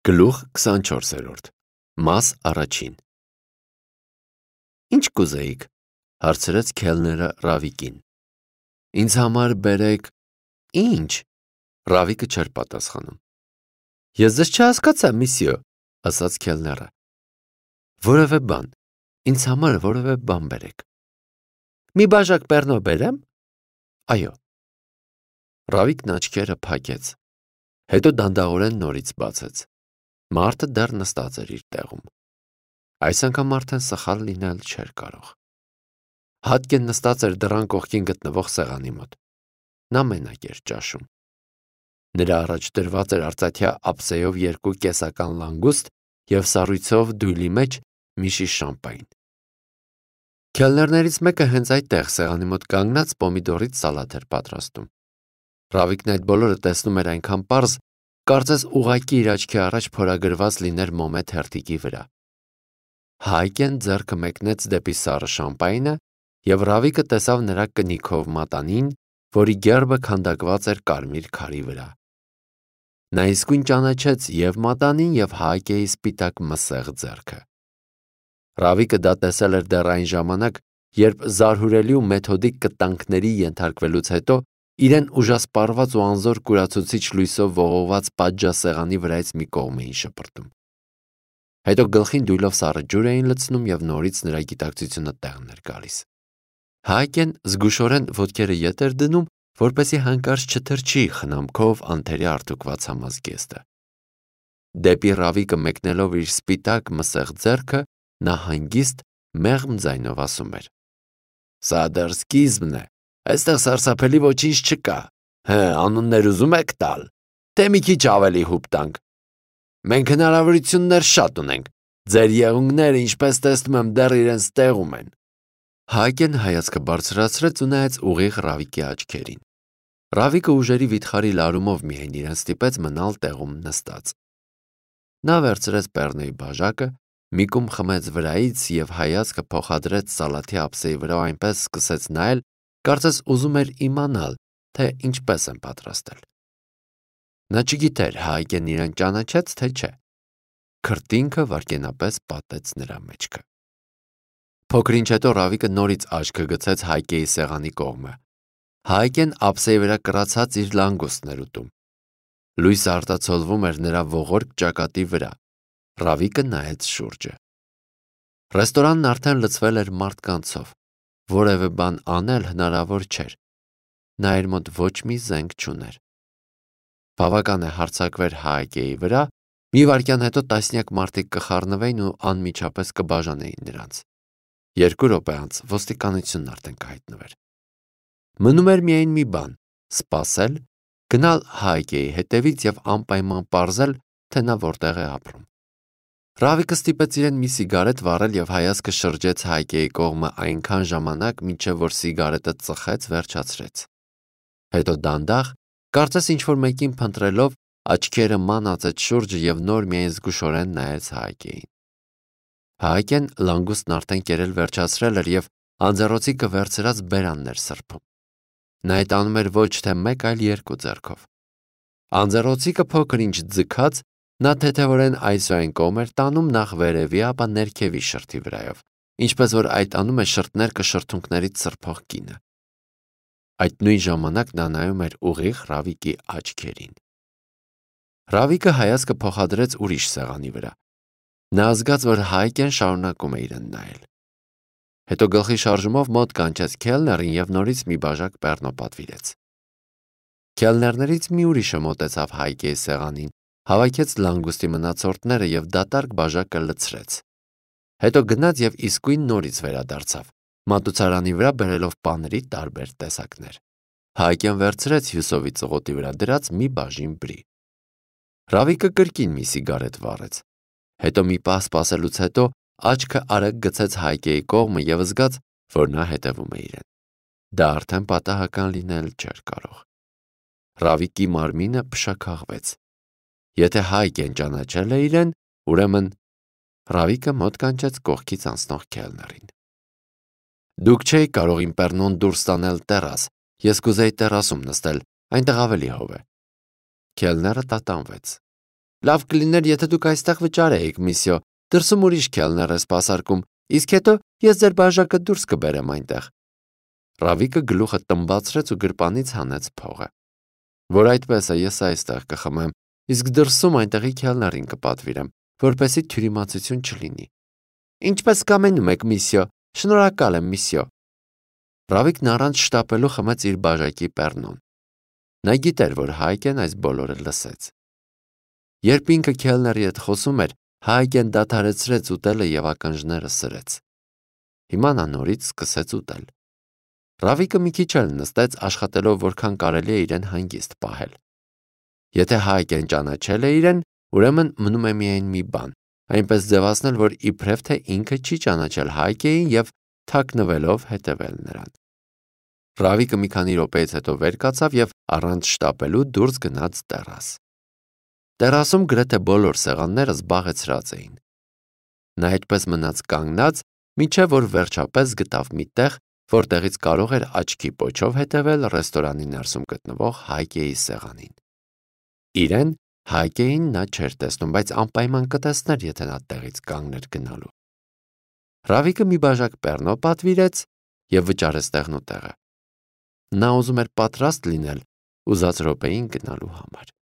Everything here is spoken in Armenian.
Գլուխ 24-րդ Մաս առաջին Ինչ կուզեիք, հարցրեց քելները Ռավիկին։ Ինձ համար բերեք։ Ինչ։ Ռավիկը չէր պատասխանում։ Ես ձեզ չհասկացա, միսյո, ասաց քելները։ Որևէ բան, ինձ համար որևէ բան բերեք։ Մի բաժակ պեռնո բերեմ։ Այո։ Ռավիկն աչքերը փակեց, հետո դանդաղորեն նորից բացեց։ Մարդը դեռ նստած էր իր տեղում։ Այս անգամ արդեն սխալ լինել չէր կարող։ Հատկեն նստած էր դռան կողքին գտնվող սեղանի մոտ։ Նա մենակ էր ճաշում։ Նրա առաջ դրված էր արծաթյա ափսեով 2 կեսական լանգուստ և սառույցով դույլի մեջ մի շիշ շամպայն։ Քելներներից մեկը հենց այդտեղ սեղանի մոտ կանգնած պոմիդորից սալատ էր պատրաստում։ Ռավիկն այդ բոլորը տեսնում էր այնքան պարզ, կարծես ուղղակի իր աչքի առաջ փորագրված լիներ մոմե թերթիկի վրա։ Հայկեն ձեռքը մեկնեց դեպի սառը շամպայնը, և Ռավիկը տեսավ նրա կնիքով մատանին, որի գերբը քանդակված էր կարմիր քարի վրա։ Նա իսկույն ճանաչեց և մատանին, և Հայկեի սպիտակ մսեղ ձեռքը։ Ռավիկը դա տեսել էր դեռ այն ժամանակ, երբ զարհուրելի ու մեթոդիկ կտանքների ենթարկվելուց հետո իրեն ուժասպառված ու անզոր կուրացուցիչ լույսով ողողված պատժասեղանի վրայից մի կողմ էին շպրտում։ Հետո գլխին դույլով սառը ջուր էին լցնում և նորից նրա գիտակցությունը տեղն էր գալիս։ Հայկեն զգուշորեն ոտքերը ետ էր դնում, որպեսզի հանկարծ չթրջի խնամքով անթերի արտուկված համազգեստը։ Դեպի Ռավիկը մեկնելով իր սպիտակ մսեղ ձեռքը, նա հանգիստ մեղմ ձայնով ասում էր. Սա դեռ սկիզբն է, այստեղ սարսափելի ոչինչ չկա։ Անուններ ուզում եք տալ, թե մի քիչ ավելի հուպ տանք։ Մենք հնարավորություններ շատ ունենք, ձեր եղունգները, ինչպես տեսնում եմ, դեռ իրենց տեղում են։ Հայկեն հայացքը բարձրացրեց ու նայեց ուղիղ Ռավիկի աչքերին։ Ռավիկը ուժերի վիթխարի լարումով միայն իրեն ստիպեց մնալ տեղում նստած։ Նա վերցրեց պեռնոյի բաժակը, մի կում խմեց վրայից և հայացքը փոխադրեց սալաթի ափսեի վրա ու այնպես սկսեց նայել, կարծես ուզում էր իմանալ, թե ինչպես են պատրաստել։ Նա չգիտեր Հայկեն իրեն ճանաչեց, թե չէ։ Քրտինքը վայրկենապես պատեց նրա մեջքը։ Փոքր ինչ հետո Ռավիկը նորից աչքը գցեց Հայկեի սեղանի կողմը։ Հայկեն ափսեի վրա կռացած իր լանգուստն էր ուտում։ Լույսը արտացոլվում էր նրա ողորկ ճակատի վրա։ Ռավիկը նայեց շուրջը։ Ռեստորանն արդեն լցվել էր մարդկանցով։ Որևէ բան անել հնարավոր չէր։ Նա իր մոտ ոչ մի զենք չուներ։ Բավական է հարձակվեր Հայկեի վրա, մի վայրկյան հետո տասնյակ մարդիկ կխառնվեին ու անմիջապես կբաժանեին նրանց։ 2 րոպե անց ոստիկանությունն արդեն կհայտնվեր։ Մնում էր միայն մի բան՝ սպասել, գնալ Հայկեի հետևից և անպայման պարզել, թե նա որտեղ է ապրում։ Ռավիկը ստիպեց իրեն մի սիգարետ վառել և հայացքը շրջեց Հայկեի կողմը այնքան ժամանակ, մինչև որ սիգարետը ծխեց, վերջացրեց։ Հետո դանդաղ, կարծես ինչ-որ մեկին փնտրելով, աչքերը ման ածեց շուրջը և նոր միայն զգուշորեն նայեց Հայկեին։ Հայկեն լանգուստն արդեն կերել վերջացրել էր և անձեռոցիկը վերցրած բերանն էր սրբում։ Նա այդ անում էր ոչ թե 1, այլ 2 ձեռքով։ Անձեռոցիկը փոքր ինչ ձգած, նա թեթևորեն այս ու այն կողմ էր տանում նախ վերևի, ապա ներքևի շրթի վրայով, ինչպես որ այդ անում է շրթներկը շրթունքներից սրբող կինը։ Այդ նույն ժամանակ նա նայում էր ուղիղ Ռավիկի աչքերին։ Ռավիկը հայացքը փոխադրեց ուրիշ սեղանի վրա։ Նա զգաց, որ Հայկեն շարունակում է իրեն նայել։ Հետո գլխի շարժումով մոտ կանչեց քելներին և նորից մի բաժակ պեռնո պատվիրեց։ Քելներներից մի ուրիշը մոտեցավ Հայկեի սեղանին, հավաքեց լանգուստի մնացորդները և դատարկ բաժակը լցրեց։ Հետո գնաց և իսկույն նորից վերադարձավ, մատուցարանի վրա բերելով պաների տարբեր տեսակներ։ Հայկեն վերցրեց հյուսովի ծղոտի վրա դրած մի բաժին բրի։ Ռավիկը կրկին մի սիգարետ վառեց։ Հետո մի պահ սպասելուց հետո աչքը արագ գցեց Հայկեի կողմը և զգաց, որ նա հետևում է իրեն։ Դա արդեն պատահական լինել չէր կարող։ Ռավիկի մարմինը փշաքաղվեց։ Եթե Հայկեն ճանաչել է իրեն, ուրեմն Ռավիկը մոտ կանչեց կողքից անցնող քելներին։ Դուք չէիք կարող իմ պեռնոն դուրս տանել տեռաս, ես կուզեի տեռասում նստել, այնտեղ ավելի հով է։ Քելները տատանվեց։ Լավ կլիներ, եթե դուք այստեղ վճարեիք, միսյո, դրսում ուրիշ քելներ է սպասարկում, իսկ հետո ես ձեր բաժակը դուրս կբերեմ այնտեղ։ Ռավիկը գլուխը տնբացրեց ու գրպանից հանեց փողը։ Որ այդպես է, ես այստեղ կխմեմ, իսկ դրսում այնտեղի քելներին կպատվիրեմ, որպեսզի թյուրիմացություն չլինի։ Ինչպես կամենում եք, միսյո, շնորհակալ եմ, միսյո։ Ռավիկն առանց շտապելու խմեց իր բաժակի պեռնոն։ Նա գիտեր, որ Հայկեն այս բոլորը լսեց։ Երբ ինքը քելների հետ խոսում էր, Հայկեն դադարեցրեց ուտելը եւ ականջները սրեց։ Հիմա նա նորից սկսեց ուտել։ Ռավիկը մի քիչ էլ նստեց, աշխատելով որքան կարելի է իրեն հանգիստ պահել։ Եթե Հայկեն ճանաչել է իրեն, ուրեմն մնում է միայն մի բան, այնպես ձևացնել, որ իբրև թե ինքը չի ճանաչել Հայկեին եւ թաքնվելով հետևել նրան։ Ռավիկը մի քանի րոպեից հետո վեր կացավ եւ առանց շտապելու դուրս գնաց տեռաս։ Տեռասում գրեթե բոլոր սեղանները զբաղեցրած էին։ Նա այդպես մնաց կանգնած, մինչև որ վերջապես գտավ մի տեղ, որտեղից կարող էր աչքի պոչով հետևել ռեստորանի ներսում գտնվող Հայկեի սեղանին։ Իրեն Հայկեին նա չէր տեսնում, բայց անպայման կտեսներ, եթե նա տեղից կանգներ գնալու։ Ռավիկը մի բաժակ պեռնո պատվիրեց եւ վճարեց տեղնուտեղը։ Նա ուզում էր պատրաստ լինել ուզած րոպեին գնալու համար։